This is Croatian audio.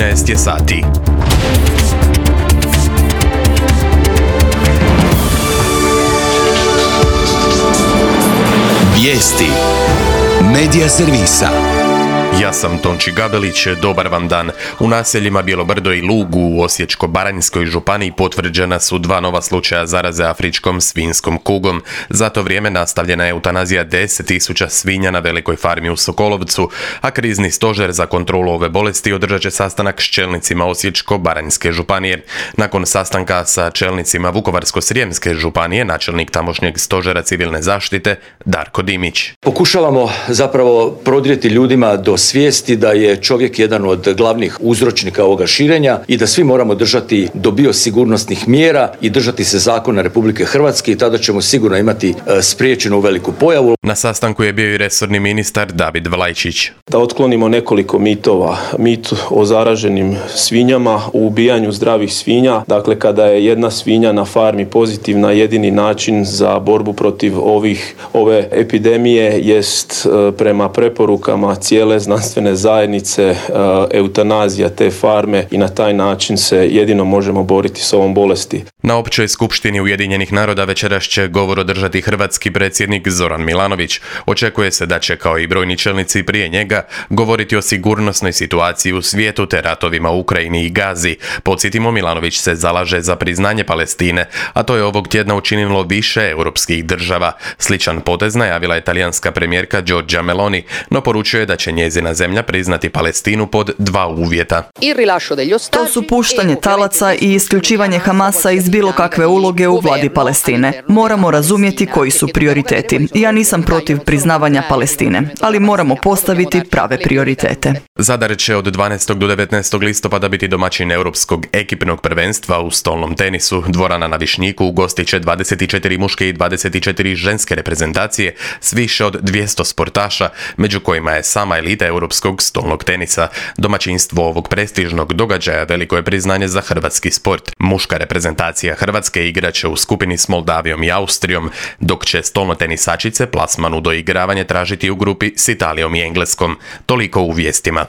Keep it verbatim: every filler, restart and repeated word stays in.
trinaest je sati. Vijesti Medija servisa. Ja sam Tonči Gabelić, dobar vam dan. U naseljima Bjelobrdo i Lug u Osječko-baranjskoj županiji potvrđena su dva nova slučaja zaraze afričkom svinjskom kugom. Za to vrijeme nastavljena je eutanazija deset tisuća svinja na velikoj farmi u Sokolovcu, a krizni stožer za kontrolu ove bolesti održat će sastanak s čelnicima Osječko-baranjske županije. Nakon sastanka sa čelnicima Vukovarsko-srijemske županije, načelnik tamošnjeg stožera civilne zaštite Darko Dimić. Pokušavamo zapravo prodrijeti ljudima do svijesti da je čovjek jedan od glavnih uzročnika ovoga širenja i da svi moramo držati do biosigurnosnih mjera i držati se zakona Republike Hrvatske i tada ćemo sigurno imati spriječenu veliku pojavu. Na sastanku je bio i resorni ministar David Vlajčić. Da otklonimo nekoliko mitova. Mit o zaraženim svinjama, u ubijanju zdravih svinja. Dakle, kada je jedna svinja na farmi pozitivna, jedini način za borbu protiv ovih, ove epidemije jest prema preporukama cijele znanstvene zajednice eutanazija te farme i na taj način se jedino možemo boriti s ovom bolesti. Na općoj skupštini Ujedinjenih naroda večeras će govor održati hrvatski predsjednik Zoran Milanović. Očekuje se da će, kao i brojni čelnici prije njega, govoriti o sigurnosnoj situaciji u svijetu te ratovima u Ukrajini i Gazi. Podsjetimo, Milanović se zalaže za priznanje Palestine, a to je ovog tjedna učinilo više europskih država. Sličan potez najavila je talijanska premijerka Giorgia Meloni, no poručuje da će njezina zemlja priznati Palestinu pod dva uvjeta. To su puštanje talaca i isključivanje Hamasa iz bilo kakve uloge u vladi Palestine. Moramo razumjeti koji su prioriteti. Ja nisam protiv priznavanja Palestine, ali moramo postaviti prave prioritete. Zadar će od dvanaestog do devetnaestog listopada biti domaćin europskog ekipnog prvenstva u stolnom tenisu. Dvorana na Višnjiku ugostit će dvadeset četiri muške i dvadeset četiri ženske reprezentacije s više od dvjesto sportaša, među kojima je sama elita europskog stolnog tenisa. Domaćinstvo ovog prestižnog događaja veliko je priznanje za hrvatski sport. Muška reprezentacija Hrvatske igraće u skupini s Moldavijom i Austrijom, dok će stolno tenisačice plasman u doigravanje tražiti u grupi s Italijom i Engleskom. Toliko u vijestima.